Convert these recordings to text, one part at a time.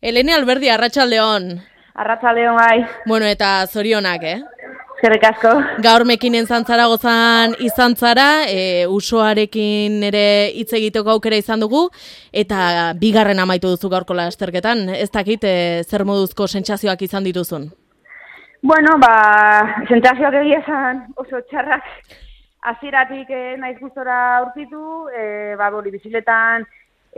Elene Alberdi, arratsaldeon. Arratsaldeon bai. Bueno, eta zorionak, Eskerrik asko. Gaur Mekinen Zaragozan izan zara, usoarekin ere hitz egiteko aukera izan dugu, eta bigarren amaitu duzu gaurko lasterketan. Ez dakit, zer moduzko sentsazioak izan dituzun? Bueno, sentsazioak egia esan oso txarrak. Hasieratik naiz gustora aurkitu, bizikletan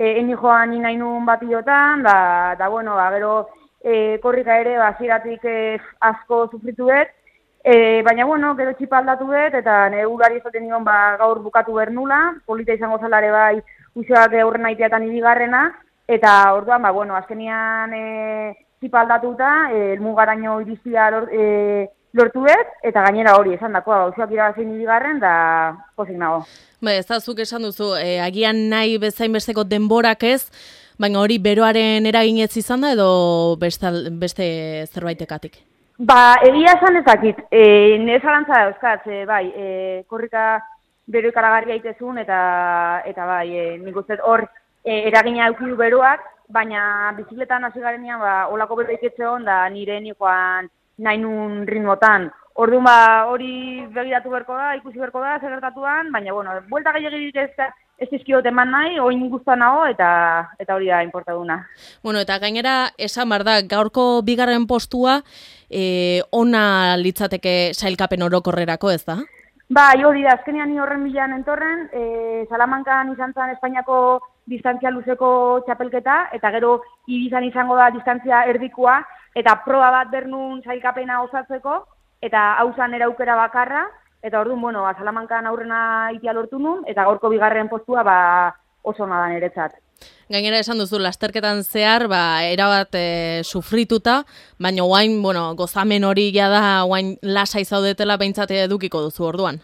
eni joan nahi nuen batiotan, da bueno, gero korrika ere hasieratik asko sufritu dut, baina bueno, gero txipa aldatu dut, eta nire urari esaten nion gaur bukatu behar nula, polita izango zalare bai usoak aurren aiteatan ibigarrena, eta orduan, azkenian txipa aldatuta, elmugaraino iriztia lortu dut, eta gainera hori esan dakoa, usoak irabazin ibigarren, da pozik nago. Ez da, zuk esan duzu, agian nahi bezain besteko denborak ez, baina hori beroaren eraginez izan da edo beste zerbaitekatik? Egia esan ezakit, nire zalantza da euskatz, korrika bero ikaragarria itezun, eta nik uste hor eragina eukidu beroak, baina bizikletan hasi garenean olako bero iketxe hon da nire nikoan nahi nun ritmotan. Orduan hori begiratu berko da, ikusi berko da, segertatuan, baina buelta gehiagirik ez dizkiot eman nahi, oin guztua nago, eta hori da inportaduna. Eta gainera, esan behar da, gaurko bigarren postua, ona litzateke sailkapen orokorrerako, ez da? Hori da, azkenean ni horren bilan entorren, Salamankan izan zen Espainiako distantzia luzeko txapelketa, eta gero Ibizan izango da distantzia erdikoa, eta proba bat bernun sailkapena osatzeko, eta hausan eraukera bakarra, eta orduan, Salamankan aurrena itia lortu nun, eta gaurko bigarren postua oso ona da niretzat. Gainera esan duzu, lasterketan zehar, erabat sufrituta, baina oain, gozamen hori da, oain lasai zaudetela behintzat edukiko duzu orduan.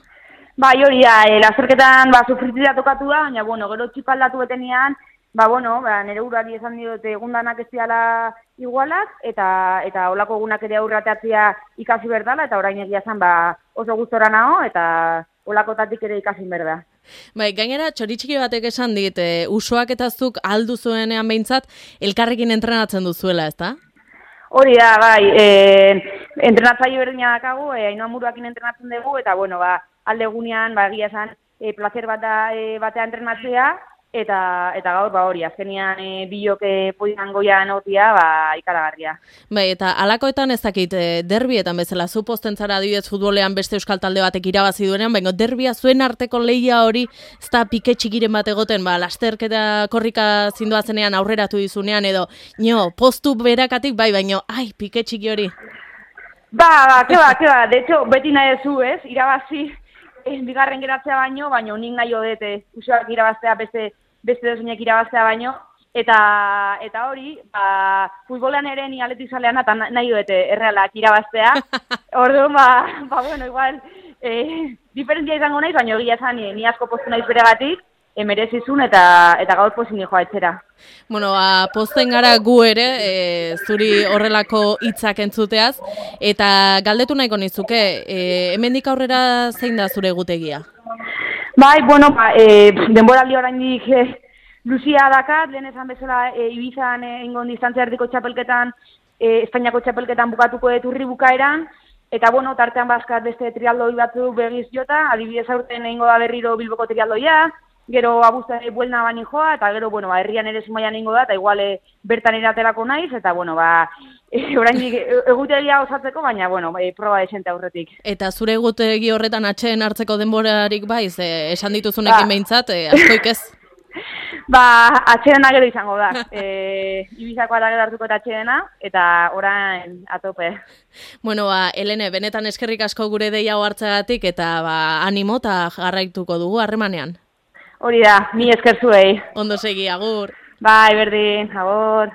Hori da, lasterketan sufrituta tokatu da, baina, gero txipaldatu betenean, nire urari esan diot egundanak ez diala igualak, eta olako egunak ere aurrateatzea ikasi berdala, eta orain egia zen oso gustora nago, eta olakotatik ere ikasin berda. Gainera, txoritxiki batek esan dit, usoak eta zuk aldu zuenean behintzat, elkarrekin entrenatzen duzuela, ez da? Hori da, entrenatzaile berdina dakagu, Ainhoa Muruakin entrenatzen dugu, eta alde egunean, egia esan, placer batea entrenatzea, eta gaur hori, azkenian bilok podian goian otia, ikaragarria. Eta alakoetan ez dakit, derbietan bezala, zu posten zara adibidez futbolean beste euskal talde batek irabazi duenean, baina derbia zuen arteko lehia hori, ez da pike txikiren bat egoten, lasterketa korrika zindoazenean aurreratu dizunean, edo, postu berakatik, baina, pike txiki hori. Keba, de hecho, beti nahi zu, ez, irabazi, bigarren geratzea baino nik nahi odete, usoak irabaztea beste desunek irabaztea baino, eta hori, futbolean ere ni atletik zalean eta nahi odete errealak irabaztea. Orduan, igual, diferentzia izango naiz, baina egia esan ni asko postu naiz beregatik, merezizun eta gaur pozin joa etxera. Pozten gara gu ere, zuri horrelako hitzak entzuteaz, eta galdetu nahiko nizuke, hemendik aurrera zein da zure egutegia? Denboraldi oraindik luzia dakat, lehen esan bezala Ibizan ingon distantzia erdiko txapelketan, Espainiako txapelketan bukatuko dut urri bukaeran, eta tartean bazkat beste trialdoi batzuk begiz jota, adibidez aurten egingo da berriro Bilboko trialdoia, gero abuzta buelna bani joa, eta gero, herrian ere Zumaian egingo da, eta igual bertan eraterako naiz, eta oraindik egutegia osatzeko, baina, proba desente aurretik. Eta zure egutegi horretan atxeen hartzeko denborarik esan dituzunekin behintzat, askoik ez? Atxeena gero izango da. Ibizakoa da gero hartuko eta atxeena, eta orain atope. Elene, benetan eskerrik asko gure deia hartzagatik, eta animo eta jarraituko dugu harremanean. Hori da, mi esker zuei. Ondo segi, agur. Berdin, agur.